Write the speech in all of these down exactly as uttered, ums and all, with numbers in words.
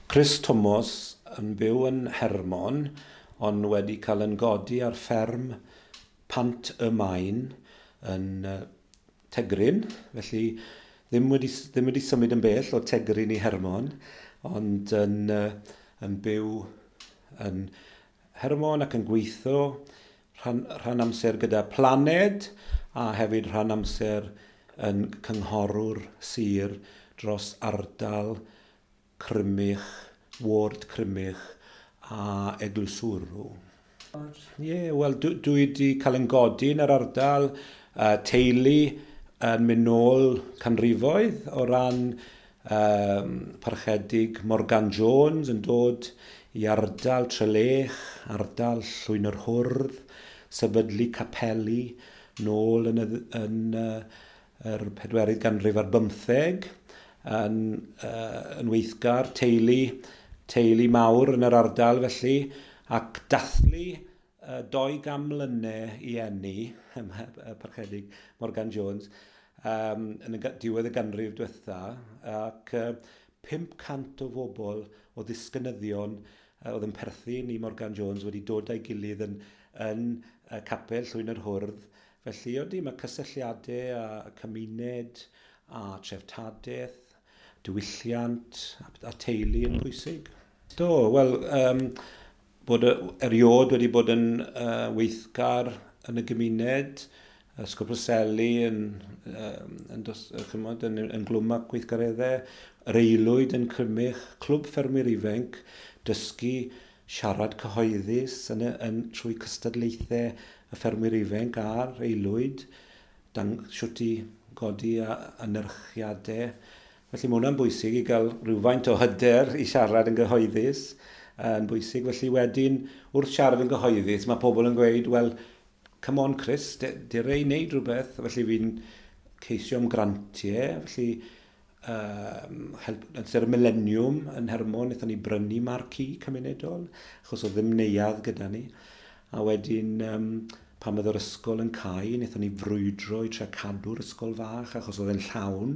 Chris Thomas yn byw yn Hermon, ond wedi cael yn godi ar fferm Pant y Maen yn uh, Tegryn, felly ddim wedi, ddim wedi symud yn bell o Tegryn i Hermon, ond yn, uh, yn byw yn Hermon ac yn gweithio rhan, rhan amser gyda Planed a hefyd rhan amser yn cynghorwr sir dros ardal Crymych, Ward Crymych a Eglwyswrw. Ie, yeah, wel, dwi, dwi wedi cael yn godi yn yr ardal, uh, teulu yn mynd nôl canrifoedd o ran um, parchedig Morgan Jones yn dod i ardal Trelech, ardal Llwyn yr Hwrdd, sefydlu capeli nôl yn, y, yn uh, yr pedwerydd ganrif ar bymtheg, yn, uh, yn weithgar, teulu, teulu mawr yn yr ardal felly, ac dathlu uh, doi gam mlynedd i eni, y parchedig Morgan Jones, um, yn y diwedd y ganrif diwetha, ac uh, pump cant o bobl o ddisgynyddion uh, oedd yn perthyn i Morgan Jones wedi dod â'i gilydd yn, yn uh, capel Llwyn yr Hwrdd. Felly, odi, mae cysylltiadau a cymuned a treftadaeth, diwylliant a, a teulu yn bwysig. Do, wel, um, bod eriod wedi bod yn uh, weithgar yn y gymuned, Ysgol Preseli yn, um, yn, dos, chymod, yn, yn glwm â gweithgareddau, yr aelwyd yn Crymych, Clwb Ffermwyr Ifanc, dysgu siarad cyhoeddus yn, yn, trwy cystadlaethau y ffermwyr ifanc a'r aelwyd, dan, siwt i godi a anerchiadau. Felly mae hwnna'n bwysig i gael rhywfaint o hyder i siarad yn gyhoeddus, yn bwysig. Felly wedyn, wrth siarad yn gyhoeddus, mae pobl yn gweud, wel, come on Chris, dere i wneud rhywbeth. Felly fi'n ceisio am grantiau, felly um, help, yn ser y Millennium yn Hermon, wnaethon ni brynu marquee cymunedol, achos oedd ddim neuadd gyda ni. A wedyn, um, pan oedd yr ysgol yn cau, wnaethon ni frwydro i trio cadw'r ysgol fach, achos oedd e'n llawn.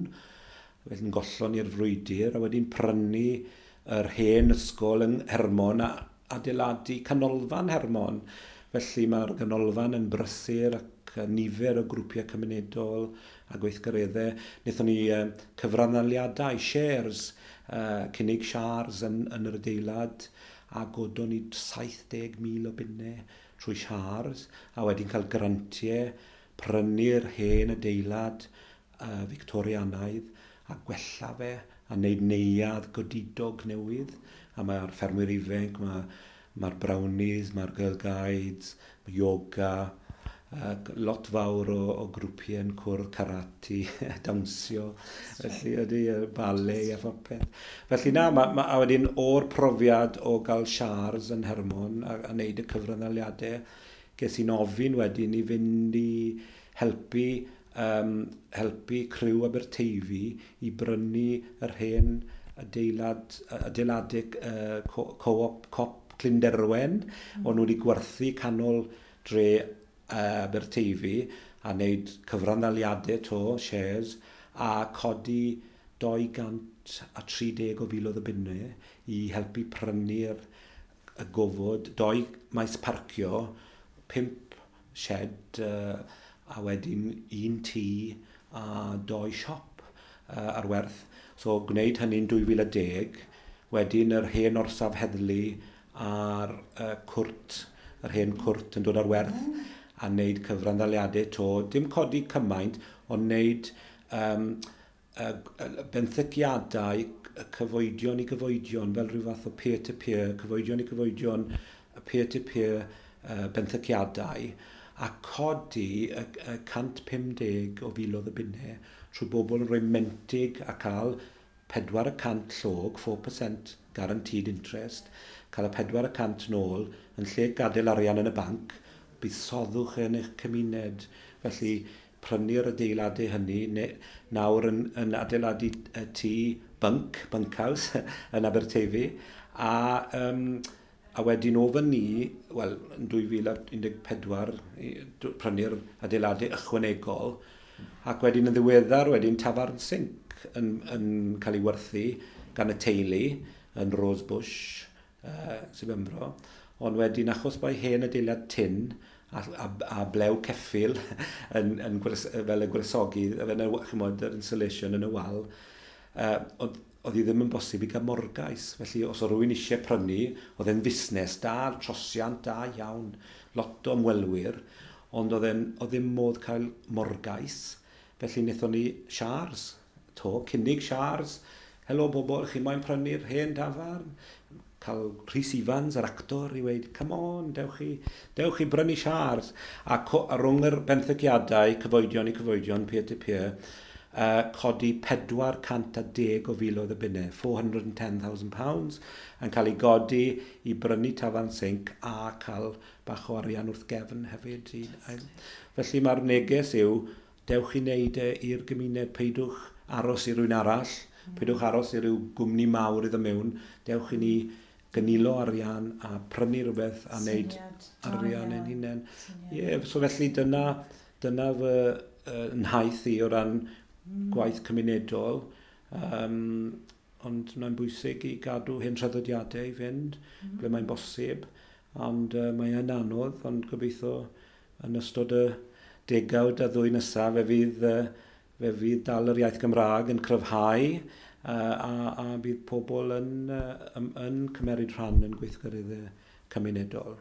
Felly'n gollon ni'r frwydr, a wedyn prynu yr hen ysgol yn Hermon a adeiladu canolfan Hermon. Felly mae'r ganolfan yn brysur ac nifer o grwpiau cymunedol a gweithgareddau. Wnaethon ni uh, cyfranddaliadau, shares, uh, cynnig shares yn, yn yr adeilad, a godon ni saith deg mil o bunnau trwy shares, a wedyn cael grantiau, prynu'r hen adeilad uh, Victorianaidd a gwella fe, a wneud neuadd godidog newydd. A mae'r ffermwyr ifanc, mae mae'r brownies, mae'r girl guides, mae yoga, uh, lot fawr o, o grwpiau yn cwrdd, karate, dawnsio, felly ydy, ballet a phopeth. Felly na, ma, ma, a wedyn o'r profiad o gael shares yn Hermon a, a wneud y cyfranddaliadau, ges i'n ofyn wedyn i fynd i helpu, um, helpu criw Aberteifi i brynu yr hen adeilad, adeiladau uh, co-op, cop Clunderwen, mm. o'n nhw wedi gwerthu canol dre uh, Aberteifi a wneud cyfranddaliadau to, shares, a codi dau gant a tri deg o filoedd o bunnau i helpu prynu'r y gofod, doi maes parcio, pump shed, uh, a wedyn un tŷ a doi siop uh, ar werth. So gwneud hynny'n dwy fil a deg, wedyn yr hen orsaf heddlu a'r uh, cwrt, yr hen cwrt yn dod ar werth, mm. a wneud cyfranddaliadau to, dim codi cymaint, ond wneud um, uh, benthyciadau cyfoedion i gyfoedion, fel rhyw fath o peer-to-peer, cyfoedion i gyfoedion, peer-to-peer uh, benthyciadau, a codi y, y cant pum deg o filoedd o bunnau trwy bobl yn rhoi mentig a cael pedwar y cant llog, four percent guaranteed interest, cael y pedwar y cant nôl, yn lle gadael arian yn y banc, buddsoddwch yn eich cymuned. Felly prynu'r adeiladau hynny, ne, nawr yn, yn adeiladu tŷ bunk, bunkhouse yn Aberteifi, a, um, a wedyn o fyny, wel, yn dwy fil a un deg pedwar, prynu'r adeiladau ychwanegol, ac wedyn yn ddiweddar, wedyn tafarn Sinc yn, yn cael ei werthu gan y teulu yn Rosebush, uh, Sir Benfro, ond wedyn achos bod hen adeilad tin a, a, a blew ceffyl yn, yn gwres, fel y gwresogi, fel y, chimod, yr insulation yn y wal, uh, oedd, oedd hi ddim yn bosib i gael morgais. Felly os oedd rhywun eisiau prynu, oedd e'n fusnes da, trosiant da iawn, lot o ymwelwyr, ond oedd, e'n, oedd ddim modd cael morgais. Felly wnaethon ni siars, to, cynnig siars, "Helo bobl, chi moyn prynu'r hen dafarn?" Cael Rhys Ifans, yr actor, i weud, "Come on, dewch chi, dewch chi brynu siars." A, co, a rhwng yr benthyciadau, cyfoedion i cyfoedion, peer-to-peer, uh, codi pedwar cant a deg o filoedd o bunnau, four hundred and ten thousand pounds, yn cael ei godi i brynu tafarn Sinc a cael bach o arian wrth gefn hefyd. I, felly mae'r neges yw, dewch i wneud e i'r gymuned, peidwch aros i rywun arall, peidwch aros i ryw gwmni mawr iddo mewn, dewch i ni gynilo arian a prynu rhywbeth a wneud arian ein hunain. Ie, yeah, so felly dyna, dyna fy uh, nhaith i o ran mm. gwaith cymunedol. Um, ond mae'n bwysig i gadw hen traddodiadau i fynd, mm. ble mae'n bosib. Ond uh, mae e'n anodd, ond gobeithio yn ystod y degawd a ddwy nesaf fe fydd, uh, fe fydd dal yr iaith Gymraeg yn cryfhau uh, a, a bydd pobl yn, uh, yn, yn cymeryd rhan yn gweithgareddau cymunedol.